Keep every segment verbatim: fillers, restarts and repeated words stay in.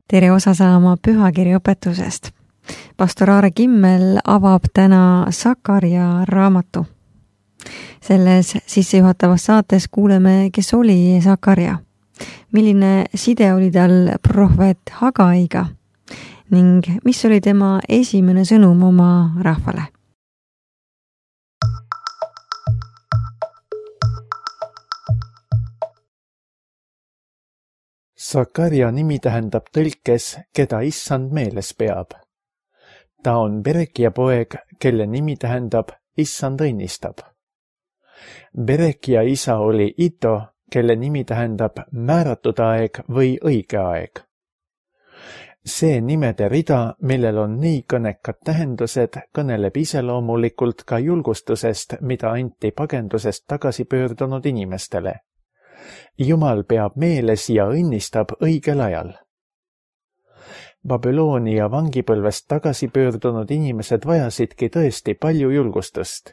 tere osa saama pühakirjaõpetusest. Pastor Aare Kimmel avab täna Sakarja raamatu. Selles sissejuhatavas saates kuuleme, kes oli Sakarja, milline side oli tal prohvet Hagaiga ning mis oli tema esimene sõnum oma rahvale. Sakarja nimi tähendab tõlkes, keda issand meeles peab. Ta on Berekia poeg, kelle nimi tähendab issand õnnistab. Berekia isa oli Ito, kelle nimi tähendab määratud aeg või õige aeg. See nimede rida, millel on nii kõnekad tähendused, kõneleb iseloomulikult ka julgustusest, mida anti pagendusest tagasi pöördunud inimestele. Jumal peab meeles ja õnnistab õigel ajal. Babyloonia vangipõlvest tagasi pöördunud inimesed vajasidki tõesti palju julgustust.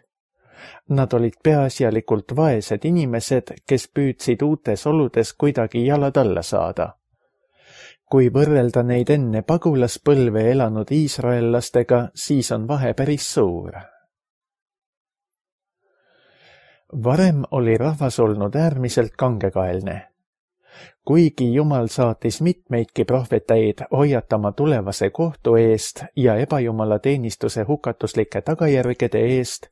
Nad olid peaasjalikult vaesed inimesed, kes püüdsid uutes oludes kuidagi jalad alla saada. Kui võrrelda neid enne pagulaspõlve elanud iisraellastega, siis on vahe päris suur. Varem oli rahvas olnud äärmiselt kangekaelne. Kuigi Jumal saatis mitmeidki prohveteid hoiatama tulevase kohtu eest ja ebajumala teenistuse hukatuslike tagajärgede eest,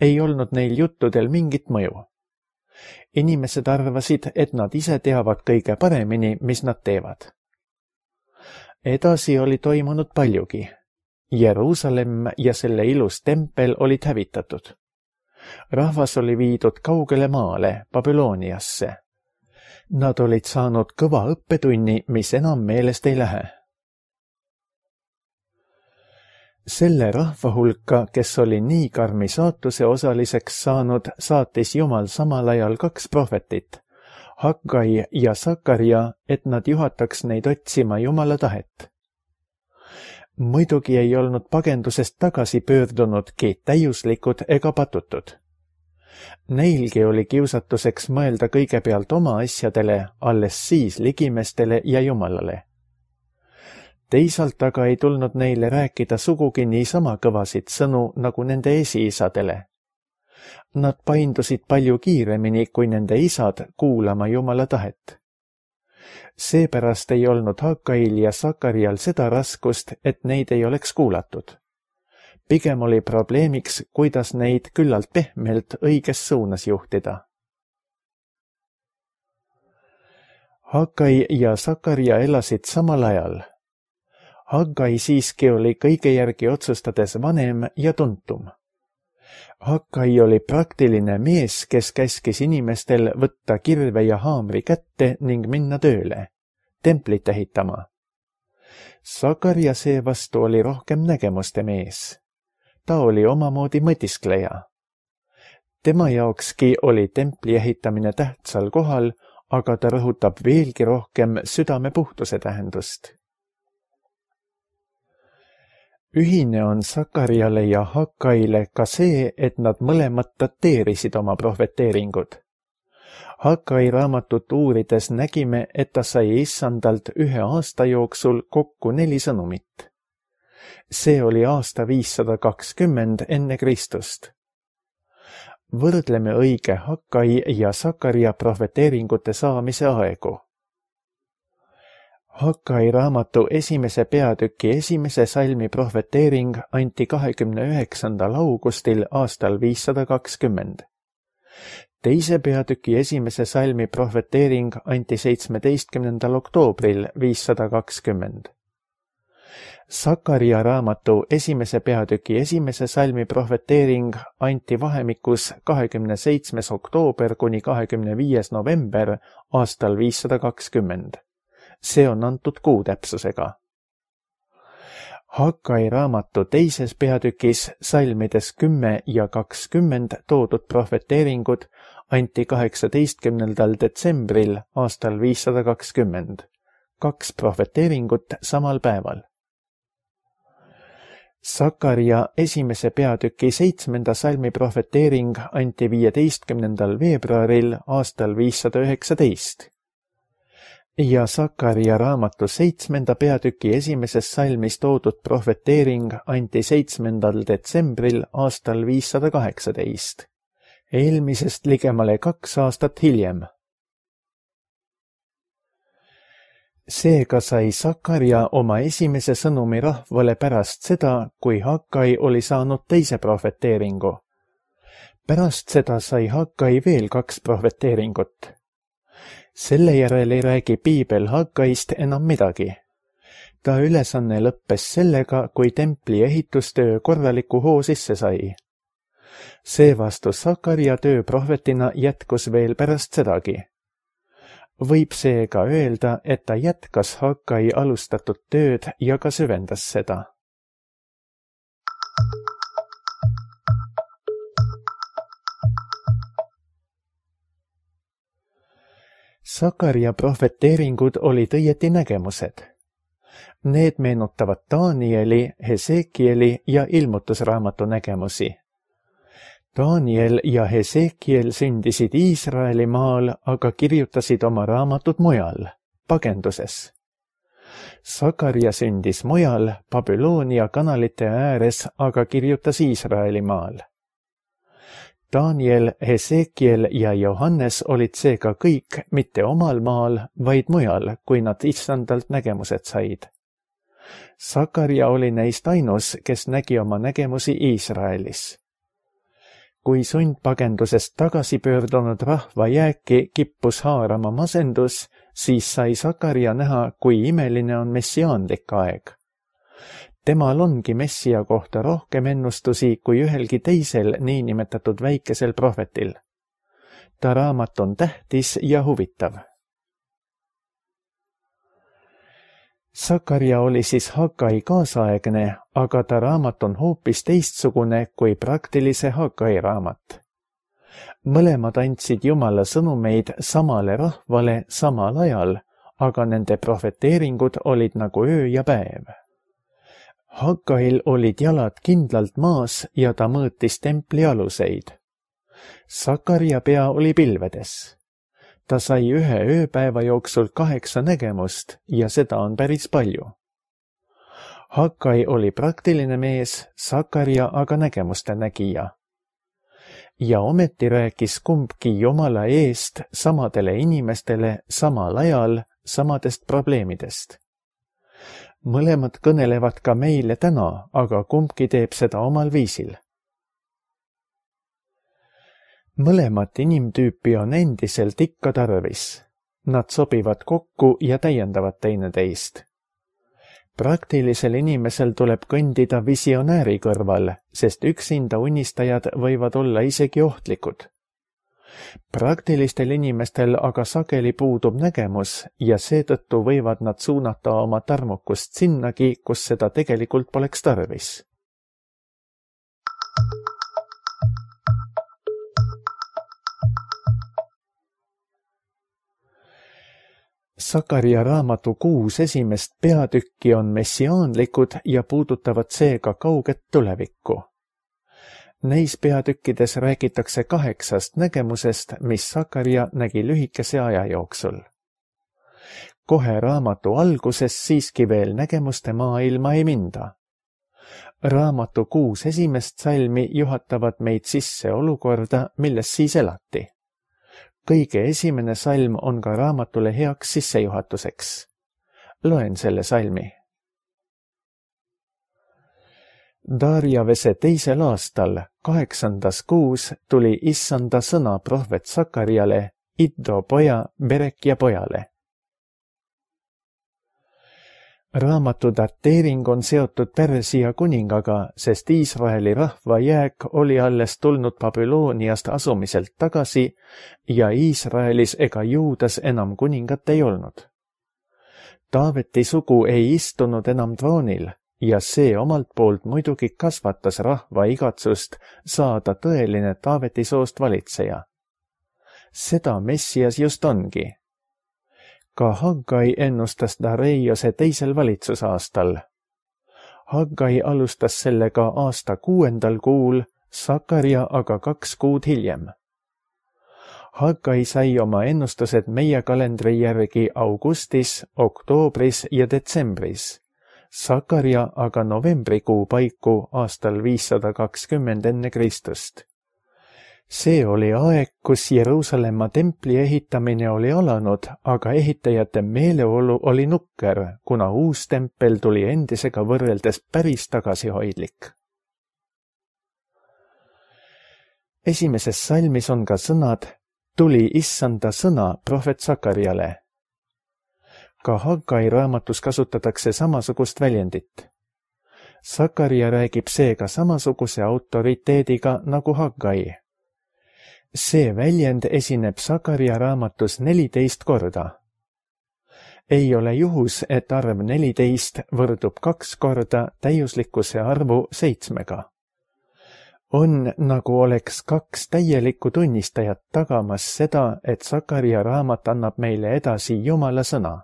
ei olnud neil juttudel mingit mõju. Inimesed arvasid, et nad ise teavad kõige paremini, mis nad teevad. Edasi oli toimunud paljugi. Jeruusalemm ja selle ilus tempel olid hävitatud. Rahvas oli viidud kaugele maale, Babyloniasse. Nad olid saanud kõva õppetunni, mis enam meelest ei lähe. Selle rahva hulka, kes oli nii karmi saatuse osaliseks saanud, saatis Jumal samal ajal kaks prohvetit, Hagai ja Sakarja, et nad juhataks neid otsima Jumala tahet. Muidugi ei olnud pagendusest tagasi pöördunudki täiuslikud ega patutud. Neilgi oli kiusatuseks mõelda kõigepealt oma asjadele, alles siis ligimestele ja Jumalale. Teisalt aga ei tulnud neile rääkida sugugi niisama kõvasid sõnu nagu nende esiisadele. Nad paindusid palju kiiremini kui nende isad kuulama Jumala tahet. Seepärast ei olnud Hagail ja Sakarjal seda raskust, et neid ei oleks kuulatud. Pigem oli probleemiks, kuidas neid küllalt pehmelt õiges suunas juhtida. Hagai ja Sakarja elasid samal ajal. Hagai siiski oli kõige järgi otsustades vanem ja tuntum. Hagai oli praktiline mees, kes käskis inimestel võtta kirve ja haamri kätte ning minna tööle, templit ehitama. Sakarja seevastu oli rohkem nägemuste mees. Ta oli omamoodi mõtiskleja. Tema jaokski oli templi ehitamine tähtsal kohal, aga ta rõhutab veelgi rohkem südame puhtuse tähendust. Ühine on Sakarjale ja Hagaile ka see, et nad mõlemad dateerisid oma prohveteeringud. Hagai raamatut uurides nägime, et ta sai issandalt ühe aasta jooksul kokku neli sõnumit. See oli aasta viissada kakskümmend enne Kristust. Võrdleme õige Hagai ja Sakarja prohveteeringute saamise aegu. Hagai raamatu esimese peatüki esimese salmi prohveteering anti kahekümne üheksandal augustil aastal viissada kakskümmend. Teise peatüki esimese salmi prohveteering anti seitsmeteistkümnendal oktoobril viissada kakskümmend. Sakarja raamatu esimese peatüki esimese salmi prohveteering anti vahemikus kahekümne seitsmes oktoober kuni kahekümne viies november aastal viissada kakskümmend. See on antud kuutäpsusega. Hagai raamatu teises peatükis salmides kümme ja kakskümmend toodud prohveteeringud anti kaheksateistkümnendal detsembril aastal viissada kakskümmend. Kaks prohveteeringut samal päeval. Sakarja esimese peatüki seitsmenda salmi prohveteering anti viieteistkümnendal veebruaril aastal viissada üheksateist. ja Sakaria raamatu seitsmenda peatüki esimeses salmis toodud prohveteering anti seitsmendal detsembril aastal viissada kaheksateist, eelmisest ligemale kaks aastat hiljem. Seega sai Sakaria oma esimese sõnumi rahvale pärast seda, kui Hakkai oli saanud teise prohveteeringu. Pärast seda sai Hakkai veel kaks prohveteeringut. Selle järel ei räägi piibel Hakkaist enam midagi. Ta ülesanne lõppes sellega, kui templi ehitustöö korraliku hoo sisse sai. Seevastu Sakaria töö prohvetina jätkus veel pärast sedagi. Võib seega öelda, et ta jätkas Hakkai alustatud tööd ja ka süvendas seda. Sakaria prohveteeringud olid õieti nägemused. Need meenutavad Danieli, Hesekieli ja ilmutusraamatu nägemusi. Daniel ja Hesekiel sündisid Iisraeli maal, aga kirjutasid oma raamatud mujal, pagenduses. Sakaria sündis mujal, Babyloonia kanalite ääres, aga kirjutas Iisraeli maal. Daniel, Hesekiel ja Johannes olid seega kõik mitte omal maal, vaid mujal, kui nad issandalt nägemused said. Sakaria oli neist ainus, kes nägi oma nägemusi Iisraelis. Kui sundpagendusest tagasi pöördunud rahva jääki kippus haarama masendus, siis sai Sakaria näha, kui imeline on messiaanlik aeg. Temal ongi messia kohta rohkem ennustusi kui ühelgi teisel niinimetatud väikesel prohvetil. Ta raamat on tähtis ja huvitav. Sakaria oli siis Hakkai kaasaegne, aga ta raamat on hoopis teistsugune kui praktilise Hakkai raamat. Mõlemad andsid Jumala sõnumeid samale rahvale samal ajal, aga nende prohveteeringud olid nagu öö ja päev. Hakkail olid jalad kindlalt maas ja ta mõõtis templi aluseid. Sakaria pea oli pilvedes. Ta sai ühe ööpäeva jooksul kaheksa nägemust ja seda on päris palju. Hakkai oli praktiline mees, Sakaria aga nägemuste nägija. Ja ometi rääkis kumbki Jumala eest samadele inimestele samal ajal samadest probleemidest. Mõlemad kõnelevad ka meile täna, aga kumbki teeb seda omal viisil. Mõlemat inimtüüpi on endiselt ikka tarvis. Nad sobivad kokku ja täiendavad teineteist. Praktilisel inimesel tuleb kõndida visionääri kõrval, sest üksinda unistajad võivad olla isegi ohtlikud. Praktilistel inimestel aga sageli puudub nägemus ja seetõttu võivad nad suunata oma tarmukust sinnagi, kus seda tegelikult poleks tarvis. Sakaria raamatu kuus esimest peatükki on messiaanlikud ja puudutavad seega kauget tulevikku. Neis peatükkides räägitakse kaheksast nägemusest, mis Sakaria nägi lühikese aja jooksul. Kohe raamatu alguses siiski veel nägemuste maailma ei minda. Raamatu kuus esimest salmi juhatavad meid sisse olukorda, milles siis elati. Kõige esimene salm on ka raamatule heaks sissejuhatuseks. Loen selle salmi. Darjavese teisel aastal, kaheksandas kuus, tuli issanda sõna prohvet Sakariale, Iddo poja, Berekja pojale. Raamatu dateering on seotud Persia kuningaga, sest Iisraeli rahva jääk oli alles tulnud Babyloniast asumiselt tagasi ja Iisraelis ega Juudas enam kuningat ei olnud. Taaveti sugu ei istunud enam troonil ja see omalt poolt muidugi kasvatas rahva igatsust saada tõeline Taaveti soost valitseja. Seda Messias just ongi. Ka Hakkai ennustas Dareiose teisel valitsusaastal. Hakkai alustas sellega aasta kuuendal kuul, Sakaria aga kaks kuud hiljem. Haggai sai oma ennustused meie kalendri järgi augustis, oktoobris ja detsembris. Sakarja aga novembrikuu paiku aastal viissada kakskümmend enne Kristust. See oli aeg, kus Jeruusalemma templi ehitamine oli alanud, aga ehitajate meeleolu oli nukker, kuna uus tempel tuli endisega võrreldes päris tagasihoidlik. Esimeses salmis on ka sõnad tuli issanda sõna prohvet Sakarjale. Ka Haggai raamatus kasutatakse samasugust väljendit. Sakarja räägib seega samasuguse autoriteediga nagu Haggai. See väljend esineb Sakarja raamatus neliteist korda. Ei ole juhus, et arv neliteist võrdub kaks korda täiuslikkuse arvu seitsmega. On nagu oleks kaks täielikku tunnistajat tagamas seda, et Sakarja raamat annab meile edasi Jumala sõna.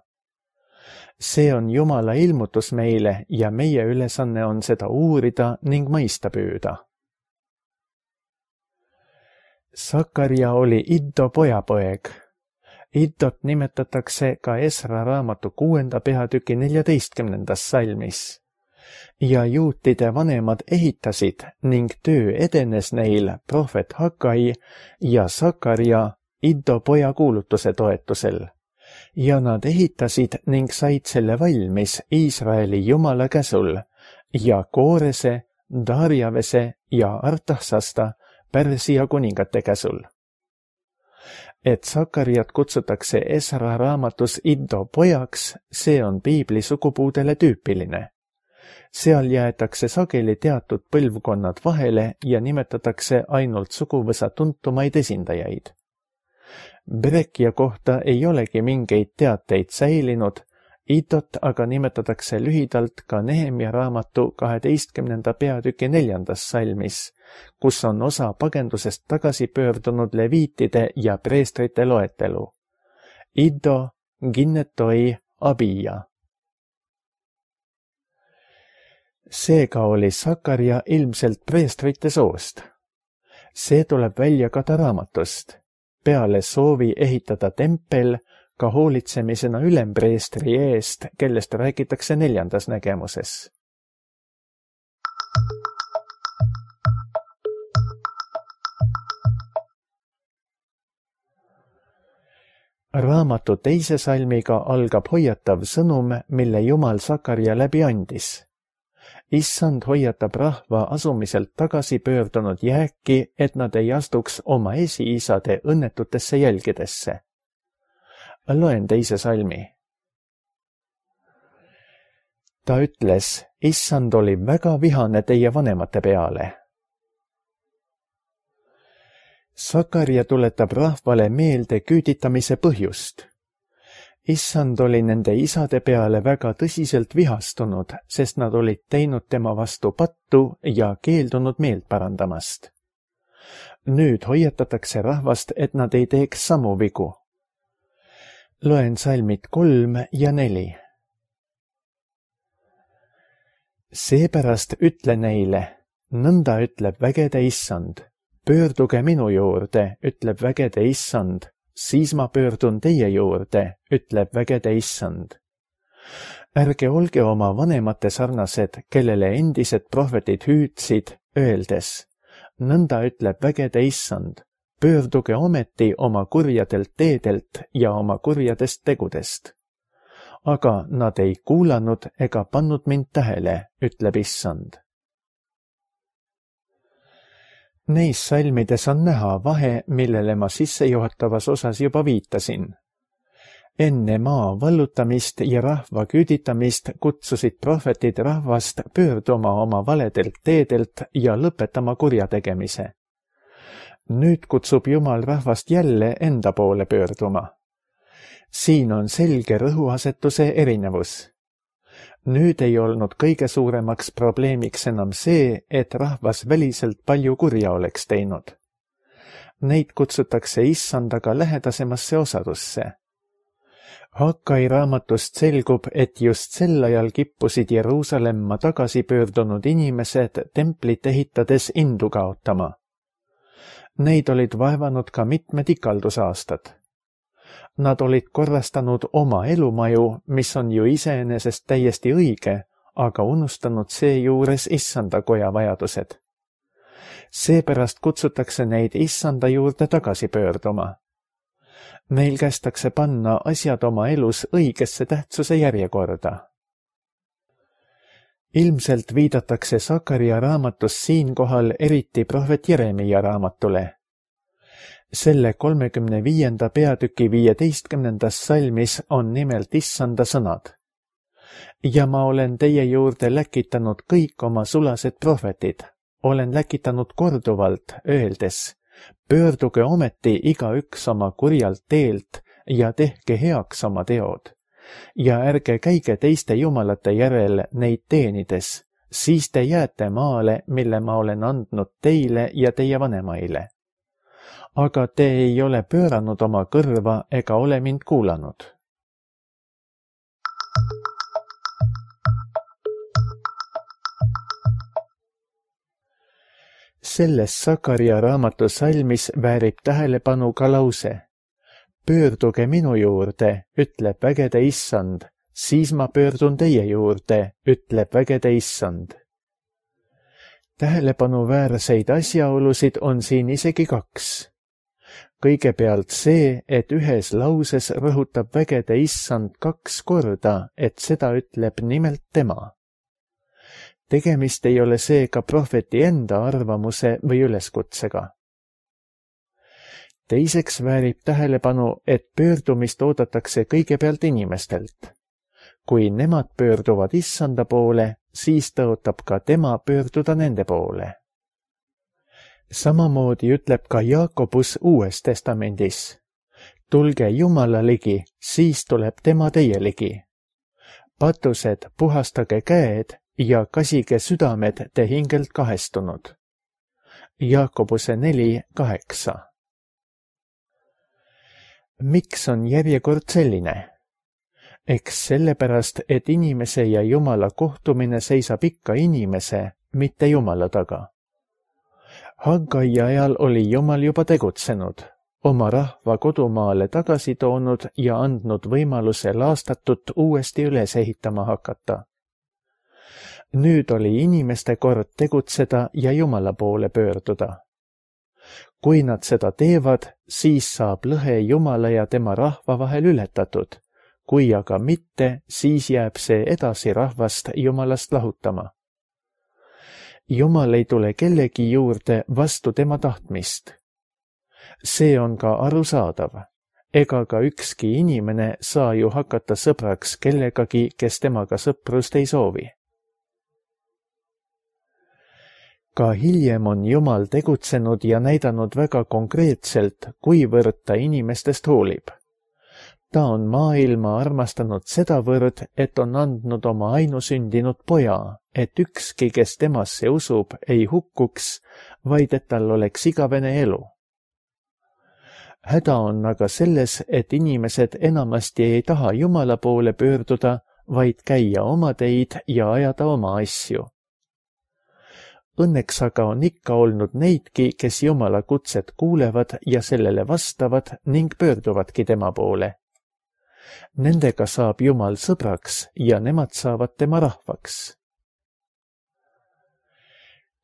See on Jumala ilmutus meile ja meie ülesanne on seda uurida ning mõista püüda. Sakarja oli Iddo pojapoeg. Iddot nimetatakse ka Esra raamatu kuuenda peatüki neljateistkümnendas salmis. Ja juutide vanemad ehitasid ning töö edenes neil prohvet Haggai ja Sakarja Iddo poja kuulutuse toetusel. Ja nad ehitasid ning said selle valmis Iisraeli Jumala käsul ja Koorese, Darjavese ja Artaksasta Pärsia kuningate käsul. Et Sakarjat kutsutakse Esra raamatus Iddo pojaks, see on piibli sugupuudele tüüpiline. Seal jäetakse sageli teatud põlvkonnad vahele ja nimetatakse ainult suguvõsa tuntumaid esindajaid. Berekja kohta ei olegi mingeid teateid säilinud, Iddot aga nimetatakse lühidalt ka Nehemja raamatu kaheteistkümnenda peatüki neljandas salmis, kus on osa pagendusest tagasi pöördunud leviitide ja preestrite loetelu. Iddo, Ginnetoi, Abija. Seega oli Sakarja ilmselt preestrite soost. See tuleb välja ka ta raamatust. Peale soovi ehitada tempel ka hoolitsemisena ülempreestri eest, kellest räägitakse neljandas nägemuses. Raamatu teise salmiga algab hoiatav sõnum, mille Jumal Sakarja läbi andis. Issand hoiatab rahva asumiselt tagasi pöördunud jääki, et nad ei astuks oma esiisade õnnetutesse jälgedesse. Loen teise salmi. Ta ütles, issand oli väga vihane teie vanemate peale. Sakarja tuletab rahvale meelde küüditamise põhjust. Issand oli nende isade peale väga tõsiselt vihastunud, sest nad olid teinud tema vastu pattu ja keeldunud meelt parandamast. Nüüd hoiatatakse rahvast, et nad ei teeks samu vigu. Loen salmid kolm ja neli. Seepärast ütle neile, nõnda ütleb vägede issand. Pöörduge minu juurde, ütleb vägede issand. Siis ma pöördun teie juurde, ütleb vägede issand. Ärge olge oma vanemate sarnased, kellele endised prohvetid hüüdsid, öeldes, nõnda ütleb vägede issand, pöörduge ometi oma kurjadelt teedelt ja oma kurjadest tegudest. Aga nad ei kuulanud ega pannud mind tähele, ütleb issand. Neis salmides on näha vahe, millele ma sissejuhatavas osas juba viitasin. Enne maa vallutamist ja rahva küüditamist kutsusid prohvetid rahvast pöörduma oma valedelt teedelt ja lõpetama kurjategemise. Nüüd kutsub Jumal rahvast jälle enda poole pöörduma. Siin on selge rõhuasetuse erinevus. Nüüd ei olnud kõige suuremaks probleemiks enam see, et rahvas väliselt palju kurja oleks teinud. Neid kutsutakse issandaga lähedasemasse osadusse. Haggai raamatust selgub, et just sel ajal kippusid Jeruusalemma tagasi pöördunud inimesed templit ehitades indu kaotama. Neid olid vaevanud ka mitmed ikaldusaastad. Nad olid korrastanud oma elumaju, mis on ju iseenesest täiesti õige, aga unustanud seejuures issanda koja vajadused. Seepärast kutsutakse neid issanda juurde tagasi pöörduma. Neil kästakse panna asjad oma elus õigesse tähtsuse järjekorda. Ilmselt viidatakse Sakaria raamatus siinkohal eriti prohvet Jeremia raamatule. Selle kolmekümne viienda peatüki viieteistkümnendas salmis on nimelt issanda sõnad. Ja ma olen teie juurde läkitanud kõik oma sulased prohvetid. Olen läkitanud korduvalt, öeldes, pöörduge ometi igaüks oma kurjalt teelt ja tehke heaks oma teod. Ja ärge käige teiste jumalate järel neid teenides, siis te jääte maale, mille ma olen andnud teile ja teie vanemaile. Aga te ei ole pööranud oma kõrva ega ole mind kuulanud. Selles Sakaria raamatu salmis väärib tähelepanu ka lause. Pöörduge minu juurde, ütleb vägede issand, siis ma pöördun teie juurde, ütleb vägede issand. Tähelepanuväärseid asjaolusid on siin isegi kaks. Kõigepealt see, et ühes lauses rõhutab vägede issand kaks korda, et seda ütleb nimelt tema. Tegemist ei ole seega prohveti enda arvamuse või üleskutsega. Teiseks väärib tähelepanu, et pöördumist oodatakse kõigepealt inimestelt. Kui nemad pöörduvad issanda poole, siis tõotab ka tema pöörduda nende poole. Samamoodi ütleb ka Jaakobus Uues Testamendis. Tulge Jumala ligi, siis tuleb tema teie ligi. Patused, puhastage käed ja kasige südamed te hingelt kahestunud. Jaakobuse neli kaheksa. Miks on järjekord selline? Eks sellepärast, et inimese ja Jumala kohtumine seisab ikka inimese, mitte Jumala taga. Haggai ajal oli Jumal juba tegutsenud, oma rahva kodumaale tagasi toonud ja andnud võimaluse laastatut uuesti üles ehitama hakata. Nüüd oli inimeste kord tegutseda ja Jumala poole pöörduda. Kui nad seda teevad, siis saab lõhe Jumala ja tema rahva vahel ületatud. Kui aga mitte, siis jääb see edasi rahvast Jumalast lahutama. Jumal ei tule kellegi juurde vastu tema tahtmist. See on ka arusaadav. Ega ka ükski inimene saa ju hakata sõbraks kellegagi, kes temaga sõprust ei soovi. Ka hiljem on Jumal tegutsenud ja näidanud väga konkreetselt, kuivõrd ta inimestest hoolib. Ta on maailma armastanud sedavõrd, et on andnud oma ainusündinud poja, et ükski, kes temasse usub, ei hukkuks, vaid et tal oleks igavene elu. Häda on aga selles, et inimesed enamasti ei taha Jumala poole pöörduda, vaid käia oma teid ja ajada oma asju. Õnneks aga on ikka olnud neidki, kes Jumala kutset kuulevad ja sellele vastavad ning pöörduvadki tema poole. Nendega saab Jumal sõbraks ja nemad saavad tema rahvaks.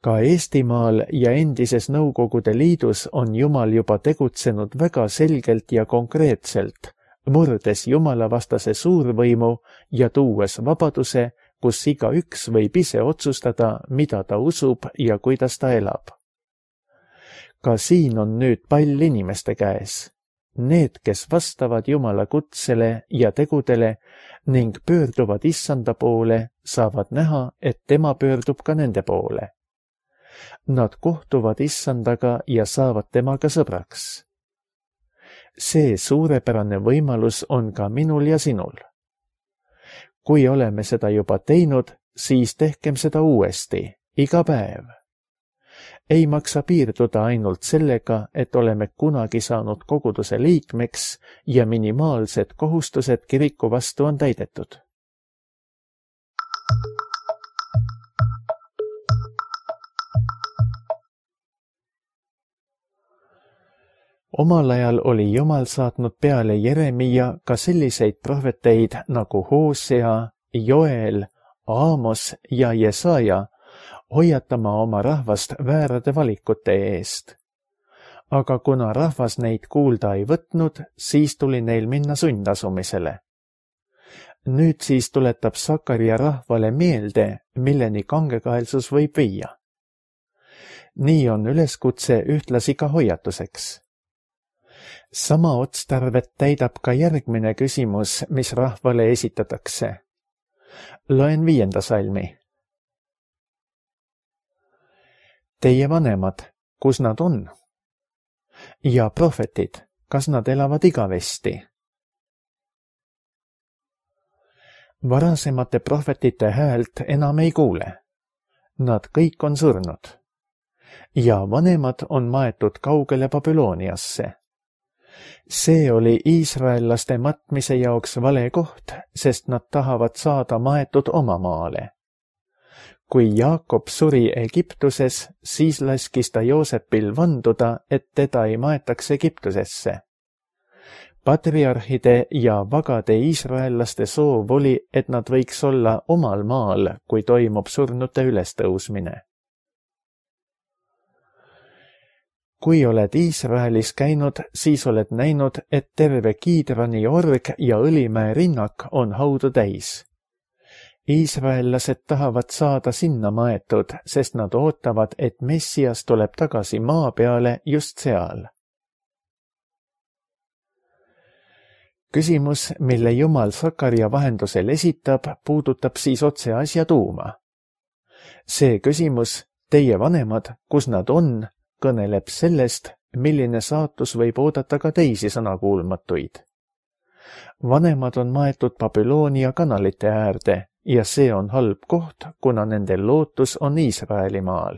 Ka Eestimaal ja endises Nõukogude Liidus on Jumal juba tegutsenud väga selgelt ja konkreetselt, murdes Jumala vastase suurvõimu ja tuues vabaduse, kus igaüks võib ise otsustada, mida ta usub ja kuidas ta elab. Ka siin on nüüd pall inimeste käes. Need, kes vastavad Jumala kutsele ja tegudele ning pöörduvad issanda poole, saavad näha, et tema pöördub ka nende poole. Nad kohtuvad issandaga ja saavad temaga sõbraks. See suurepärane võimalus on ka minul ja sinul. Kui oleme seda juba teinud, siis tehkem seda uuesti, iga päev. Ei maksa piirduda ainult sellega, et oleme kunagi saanud koguduse liikmeks ja minimaalsed kohustused kiriku vastu on täidetud. Omal ajal oli Jumal saatnud peale Jeremia ka selliseid prohveteid nagu Hoosea, Joel, Aamos ja Jesaja hoiatama oma rahvast väärade valikute eest. Aga kuna rahvas neid kuulda ei võtnud, siis tuli neil minna sundasumisele. Nüüd siis tuletab Sakaria rahvale meelde, milleni kangekaelsus võib viia. Nii on üleskutse ühtlasi ka hoiatuseks. Sama otstarvet täidab ka järgmine küsimus, mis rahvale esitatakse. Loen viienda salmi. Teie vanemad, kus nad on? Ja prohvetid, kas nad elavad igavesti? Varasemate prohvetite häält enam ei kuule. Nad kõik on surnud. Ja vanemad on maetud kaugele Babyloniasse. See oli iisraellaste matmise jaoks vale koht, sest nad tahavad saada maetud oma maale. Kui Jaakob suri Egiptuses, siis laskis ta Joosepil vanduda, et teda ei maetaks Egiptusesse. Patriarhide ja vagade iisraellaste soov oli, et nad võiks olla omal maal, kui toimub surnute ülestõusmine. Kui oled Iisraelis käinud, siis oled näinud, et terve Kiidrani org ja Õlimäe rinnak on haudu täis. Iisraellased tahavad saada sinna maetud, sest nad ootavad, et Messias tuleb tagasi maa peale just seal. Küsimus, mille Jumal Sakaria vahendusel esitab, puudutab siis otse asja tuuma. See küsimus, teie vanemad, kus nad on, kõneleb sellest, milline saatus võib oodata ka teisi sõnakuulmatuid. Vanemad on maetud Babyloonia kanalite äärde ja see on halb koht, kuna nende lootus on Iisraeli maal.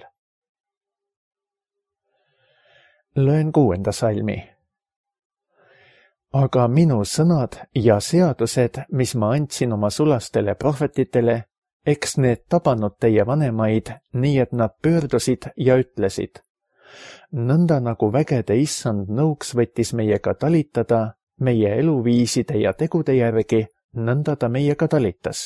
Loen kuuenda salmi. Aga minu sõnad ja seadused, mis ma andsin oma sulastele prohvetitele, eks need tabanud teie vanemaid, nii et nad pöördusid ja ütlesid. Nõnda nagu vägede issand nõuks võttis meiega talitada, meie eluviiside ja tegude järgi, nõnda ta meiega talitas.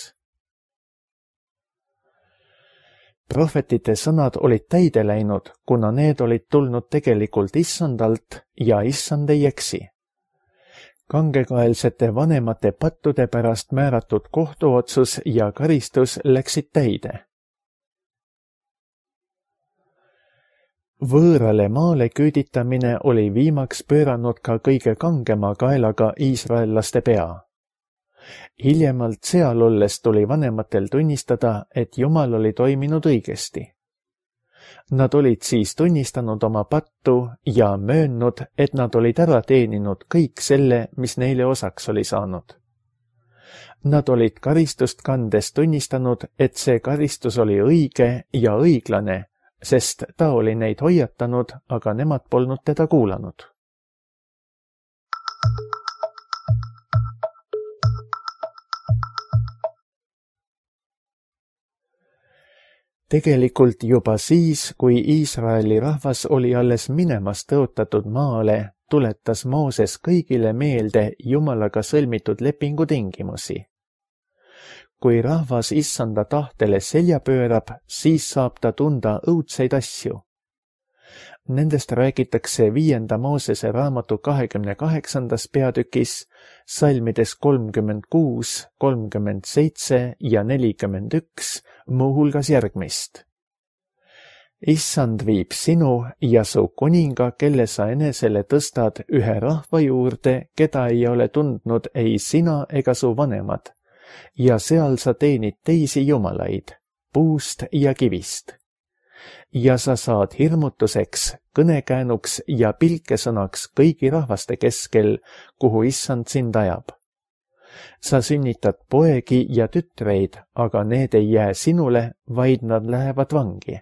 Prohvetite sõnad olid täide läinud, kuna need olid tulnud tegelikult issandalt ja issand ei eksi. Kangekaelsete vanemate pattude pärast määratud kohtuotsus ja karistus läksid täide. Võõrale maale küüditamine oli viimaks pööranud ka kõige kangema kaelaga iisraellaste pea. Hiljemalt seal olles tuli vanematel tunnistada, et Jumal oli toiminud õigesti. Nad olid siis tunnistanud oma pattu ja möönnud, et nad olid ära teeninud kõik selle, mis neile osaks oli saanud. Nad olid karistust kandes tunnistanud, et see karistus oli õige ja õiglane, sest ta oli neid hoiatanud, aga nemad polnud teda kuulanud. Tegelikult juba siis, kui Iisraeli rahvas oli alles minemas tõotatud maale, tuletas Mooses kõigile meelde Jumalaga sõlmitud lepingu tingimusi. Kui rahvas issanda tahtele selja pöörab, siis saab ta tunda õudseid asju. Nendest räägitakse viienda Moosese raamatu kahekümne kaheksandas peatükis, salmides kolmkümmend kuus, kolmkümmend seitse ja nelikümmend üks, muuhulgas järgmist. Issand viib sinu ja su kuninga, kelle sa enesele tõstad ühe rahva juurde, keda ei ole tundnud ei sina ega su vanemad, ja seal sa teenid teisi jumalaid, puust ja kivist. Ja sa saad hirmutuseks, kõnekäänuks ja pilkesõnaks kõigi rahvaste keskel, kuhu issand sind ajab. Sa sünnitad poegi ja tütreid, aga need ei jää sinule, vaid nad lähevad vangi.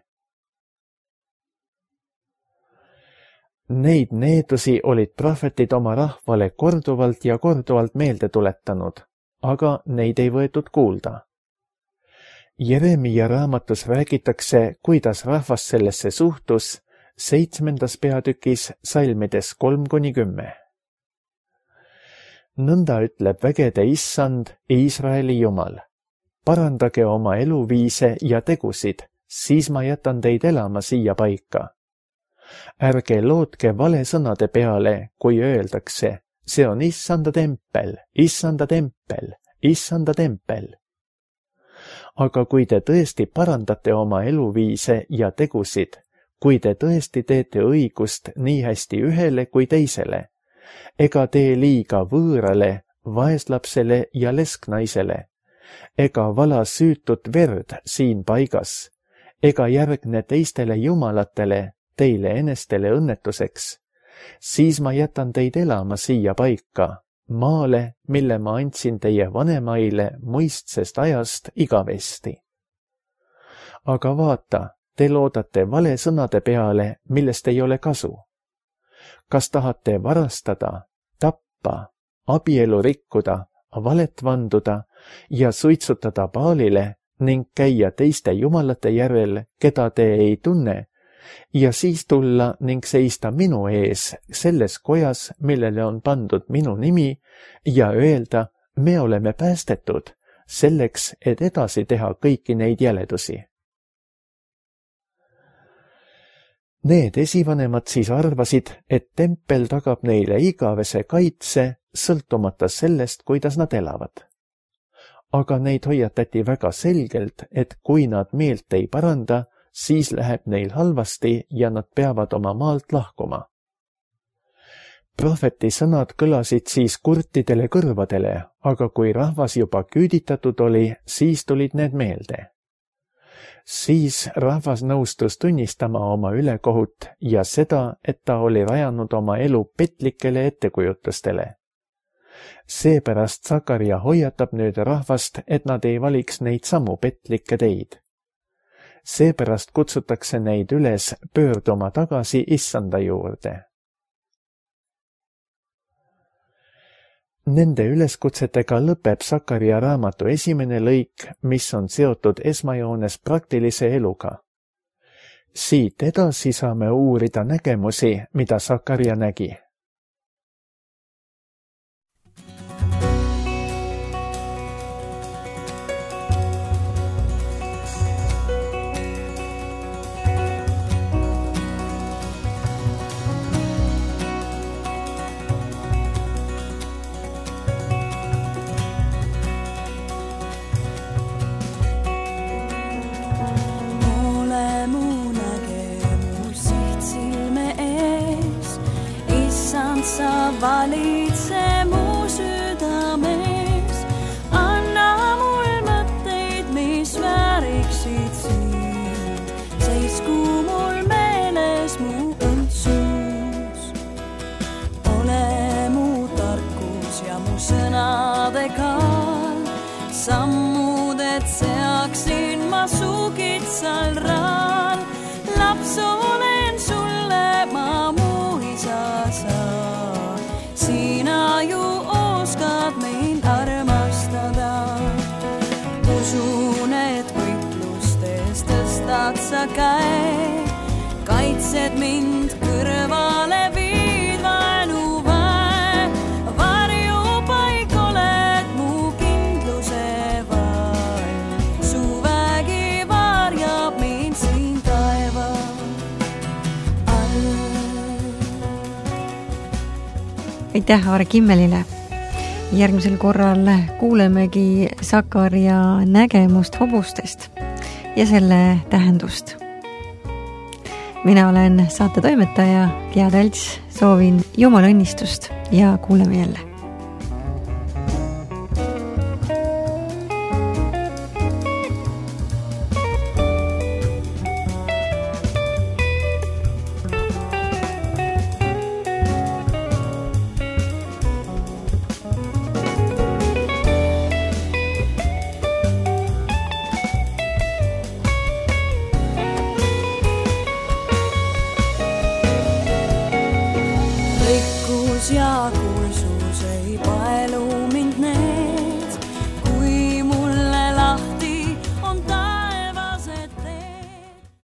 Neid needusi olid prohvetid oma rahvale korduvalt ja korduvalt meelde tuletanud, aga neid ei võetud kuulda. Jeremia raamatus räägitakse, kuidas rahvas sellesse suhtus, seitsmendas peatükis salmides kolm kuni kümme. Nõnda ütleb vägede issand, Iisraeli Jumal. Parandage oma eluviise ja tegusid, siis ma jätan teid elama siia paika. Ärge lootke vale sõnade peale, kui öeldakse, see on issanda tempel, issanda tempel, issanda tempel. Aga kui te tõesti parandate oma eluviise ja tegusid, kui te tõesti teete õigust nii hästi ühele kui teisele, ega tee liiga võõrale, vaeslapsele ja lesknaisele, ega vala süütut verd siin paigas, ega järgne teistele jumalatele, teile enestele õnnetuseks, siis ma jätan teid elama siia paika, maale, mille ma andsin teie vanemaile muistsest ajast igavesti. Aga vaata, te loodate vale sõnade peale, millest ei ole kasu. Kas tahate varastada, tappa, abielu rikkuda, valet vanduda ja suitsutada Baalile ning käia teiste jumalate järel, keda te ei tunne, ja siis tulla ning seista minu ees selles kojas, millele on pandud minu nimi, ja öelda, me oleme päästetud, selleks, et edasi teha kõiki neid jäledusi. Need esivanemad siis arvasid, et tempel tagab neile igavese kaitse, sõltumata sellest, kuidas nad elavad. Aga neid hoiatati väga selgelt, et kui nad meelt ei paranda, siis läheb neil halvasti ja nad peavad oma maalt lahkuma. Prohveti sõnad kõlasid siis kurtidele kõrvadele, aga kui rahvas juba küüditatud oli, siis tulid need meelde. Siis rahvas nõustus tunnistama oma ülekohut ja seda, et ta oli rajanud oma elu petlikele ettekujutustele. Seepärast Sakaria hoiatab nüüd rahvast, et nad ei valiks neid samu petlikke teid. Seepärast kutsutakse neid üles pöörduma tagasi issanda juurde. Nende üleskutsetega lõpeb Sakaria raamatu esimene lõik, mis on seotud esmajoones praktilise eluga. Siit edasi saame uurida nägemusi, mida Sakaria nägi. Sa valitse mu südames, anna mul mõtteid, mis vääriksid sind, seisku mul meeles mu õndsus. Ole mu tarkus ja mu sõnade kaal, sammuded seaksin ma su kitsal raal, laps olen sulle ma mu isa saa. Sina ju oskad mind armastada. Usun, et võitlustes tõstad sa käe, kaitsed mind kõrvale viid vaenu väe. Varjupaik oled mu kindluse vall, su vägi varjab mind siin taeva all. Aitäh Aare Kimmelile. Järgmisel korral kuulemegi Sakaria nägemust hobustest ja selle tähendust. Mina olen saate toimetaja Gea Talts, soovin Jumala õnnistust ja kuuleme jälle.